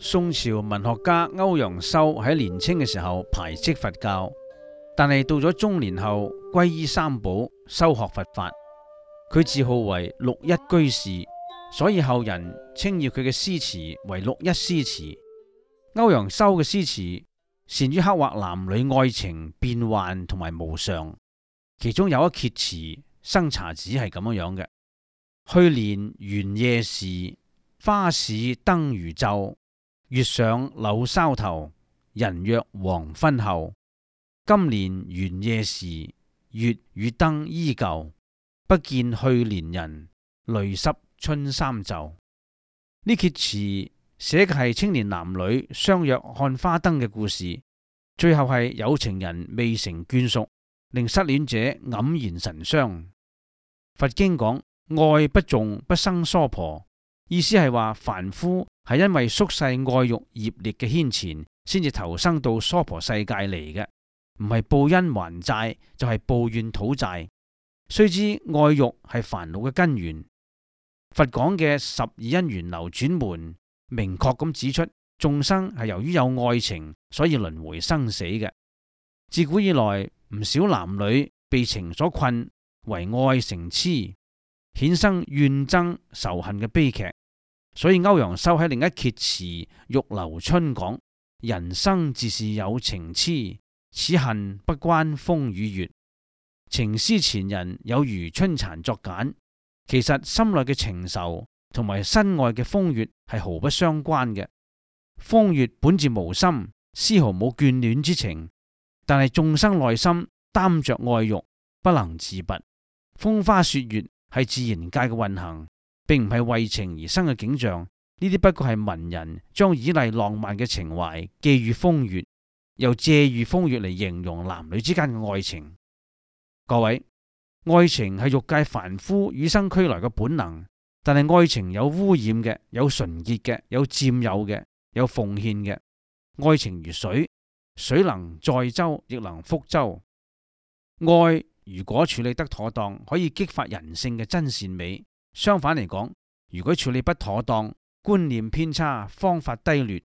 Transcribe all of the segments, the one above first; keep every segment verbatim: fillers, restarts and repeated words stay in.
宋朝文學家歐陽修喺年青嘅時候排斥佛教，但係到咗中年後皈依三寶，修學佛法。佢自號為六一居士，所以後人稱譽佢嘅詩詞為六一詩詞。歐陽修嘅詩詞善於刻畫男女愛情變幻同埋無常，其中有一闕詞《生查子》係咁樣樣嘅：去年元夜時，花市燈如晝。月上柳梢頭，人約黃昏後。今年元夜時，月與燈依舊。不見去年人，淚濕春衫袖。呢闕詞寫嘅係青年男女相約看花燈嘅故事，最後係有情人未成眷屬，令失戀者黯然神傷。佛經講愛不重不生娑婆，意思係話凡夫係因為宿世愛欲業力嘅牽纏，先至投生到娑婆世界嚟嘅，唔係報恩還債，就係報怨討債。須知愛欲係煩惱嘅根源。佛講嘅十二因緣流轉門，明確咁指出眾生係由於有愛情，所以輪迴生死嘅。自古以來，唔少男女被情所困，為愛成痴，衍生怨憎仇恨嘅悲劇。所以歐陽修喺另一闕詞《玉樓春》講：人生自是有情痴，此恨不關風與月。情思前人有如春殘作繭，其實心內嘅情仇同埋身外嘅風月係毫不相關嘅。風月本自無心，絲毫冇眷戀之情，但係眾生內心擔着愛欲，不能自拔。風花雪月係自然界嘅運行，並唔係為情而生嘅景象。呢啲不過係文人將以麗浪漫嘅情懷寄予風月，又借喻風月嚟形容男女之間嘅愛情。各位，愛情係欲界凡夫與生俱來嘅本能，但係愛情有污染嘅，有純潔嘅，有佔有嘅，有奉獻嘅。愛情如水，水能載舟，亦能覆舟。愛如果處理得妥當，可以激發人性嘅真善美。相反嚟講，如果處理不妥當，觀念偏差，方法低劣，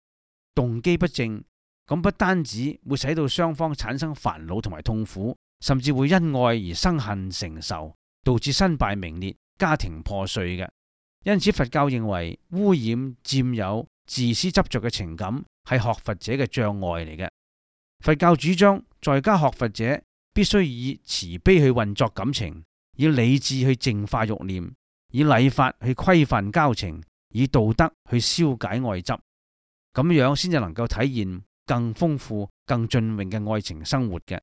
動機不正，咁不單止會使到雙方產生煩惱同埋痛苦，甚至會因愛而生恨成仇，導致身敗名裂、家庭破碎嘅。因此佛教認為污染、佔有、自私執着嘅情感係學佛者嘅障礙嚟嘅。佛教主張在家學佛者必須以慈悲去運作感情，以理智去淨化欲念，以禮法去規範交情，以道德去消解愛執，咁樣先至能夠體現更豐富、更雋永嘅愛情生活嘅。